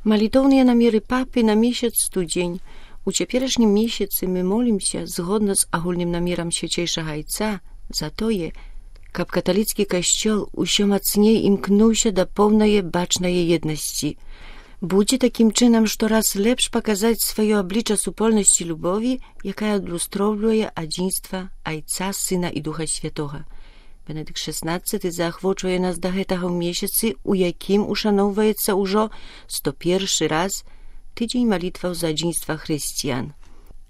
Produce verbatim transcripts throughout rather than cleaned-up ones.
Малітоўныя намеры папы на месяц студзень. У цяперашнім месяцы мы молімся згодна з агульным намерам свяцейшага айца за тое, каб каталіцкі касцёл усё мацней імкнуўся да поўнае бачнае еднасці. Будзе такім чынам штораз лепш паказаць сваё аблічча супольнасці любові, якая адлюстроўвае адзінства айца, сына і духа святога. Бенедыкт шаснаццаты заахвочвае нас да гэтага ў месяцы, у якім ушаноўваецца ўжо сто першы раз тыдзень малітваў за адзінства хрысціян.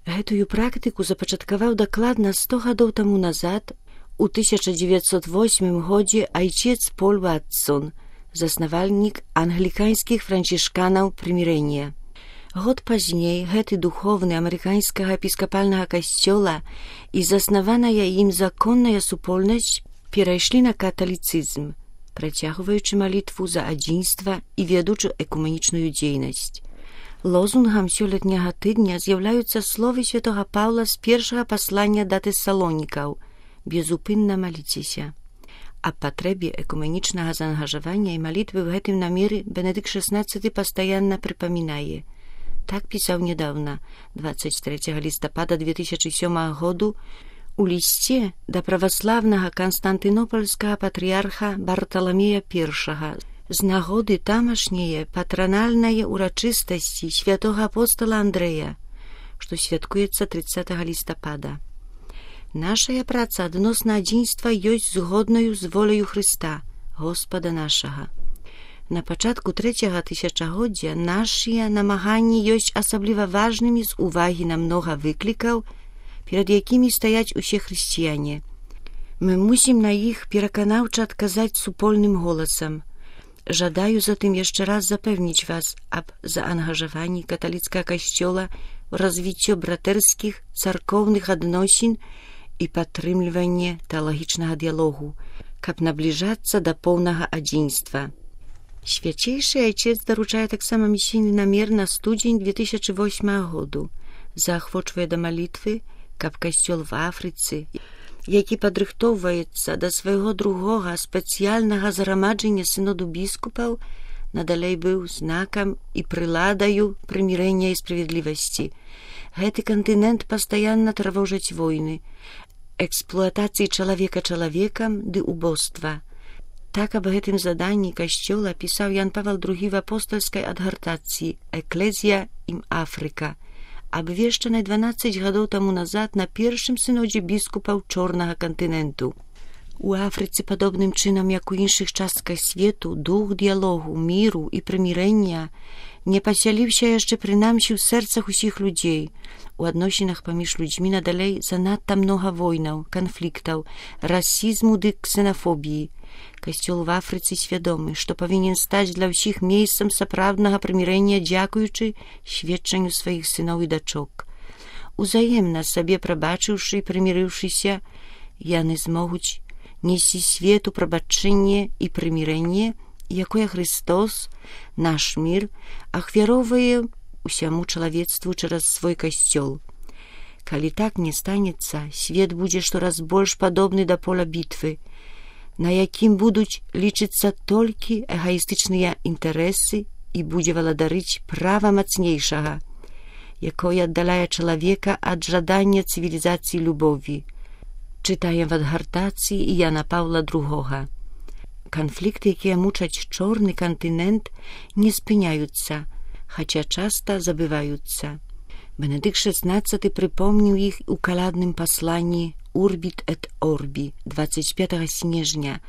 Гэтую практыку запачаткаваў дакладна сто гадоў таму назад, у тысяча дзевяцьсот восьмым годзе айцец Поль Ватсон, заснавальнік англіканскіх францішканаў прымірэння. Год пазней гэты духовны амерыканскага эпіскапальнага касцёла і заснаваная ім законная супольнасць перайшлі на каталіцызм, працягваючы малітву за адзінства і ведучы экуменічную дзейнасць. Лозунгам сёлетняга тыдня з'яўляюцца словы святога Паўла з першага паслання да тэсалонікаў «Безупынна маліцеся». Аб патрэбе экуменічнага заангажавання і малітвы ў гэтым намеры Бенедыкт шаснаццаты пастаянна прыпамінае. Так пісаў нядаўна, дваццаць трэцяга лістапада две тысячы сёмага году, у лісце да праваслаўнага канстантынопольскага патрыярха Барталамея Першага з нагоды тамашняе патранальнае урачыстасці святога апостола Андрэя, што святкуецца трыццатага лістапада. Нашая праца адносна адзінства ёсць згоднаю з воляю Хрыста, Господа нашага. На пачатку трэцяга тысячагоддзя нашыя намаганні ёсць асабліва важнымі з увагі на многа выклікаў, перад якімі стаяць усе хрысціяне. Мы мусім на іх пераканаўча адказаць супольным голасам. Жадаю затым яшчэ раз запэўніць вас аб заангажаванні каталіцкага касцёла ў развіццё братэрскіх царкоўных адносін і падтрымліванне тэалагічнага дыялогу, каб набліжацца да поўнага адзінства. Свяцейшы айцец даручае таксама місійны намер на студзень две тысячы восьмага году, заахвочвае да малітвы, каб касцёл в Афрыцы, які падрыхтоўваецца да свайго другога спецыяльнага зграмаджання сыноду біскупаў, надалей быў знакам і прыладаю прымірэння і справядлівасці. Гэты кантынент пастаянна трывожаць войны, эксплуатацыі чалавека чалавекам ды убоства. Так аб гэтым заданні касцёла пісаў Ян Павел другі в апостальскай адгартацыі «Эклезія ім Афрыка», абвешчанай дванаццаць гадоў таму назад на першым сынодзе біскупаў чорнага кантыненту. У Афрыцы, падобным чынам, як у іншых частках свету, дух дыялогу, міру і прымірэння не пасяліўся яшчэ прынамсі ў сэрцах усіх людзей. У адносінах паміж людзьмі надалей занадта многа войнаў, канфліктаў, расізму ды ксенафобіі. Касцёл в Афрыцы свядомы, што павінен стаць для ўсіх месцам сапраўднага прымірэння дзякуючы сведчанню сваіх сыноў і дачок. Узаемна сабе прабачыўшы і прымірыўшыся, яны змогуць несці свету прабачэнне і прымірэнне, якое Христос, наш мір, ахвяроўвае усяму чалавецтву чараз свой касцёл. Калі так не станецца, свет будзе штораз больш падобны да поля бітвы, на якім будуць лічыцца толькі эгаістычныя інтарэсы і будзе валадарыць права мацнейшага, якое аддаляе чалавека ад жадання цывілізацыі любові. Чытаем в адгартацыі Яна Паўла другога. Канфлікты, якія мучаць чорны кантынент, не спыняюцца, хаця часта забываюцца. Бенедыкт шаснаццаты прыпомніў іх у калядным пасланні «Урбіт эт орбі» дваццаць пятага снежня.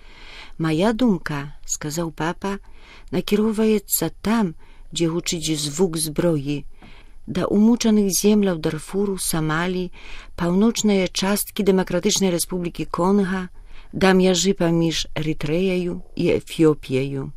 «Мая думка, — сказаў папа, — накіроўваецца там, дзе гучыць звук зброі, да умучаных земляў Дарфуру, Самалі, паўночныя часткі Дэмакратычнай Рэспублікі Конга, да мяжы паміж Эрытрэяю і Эфіопіяю.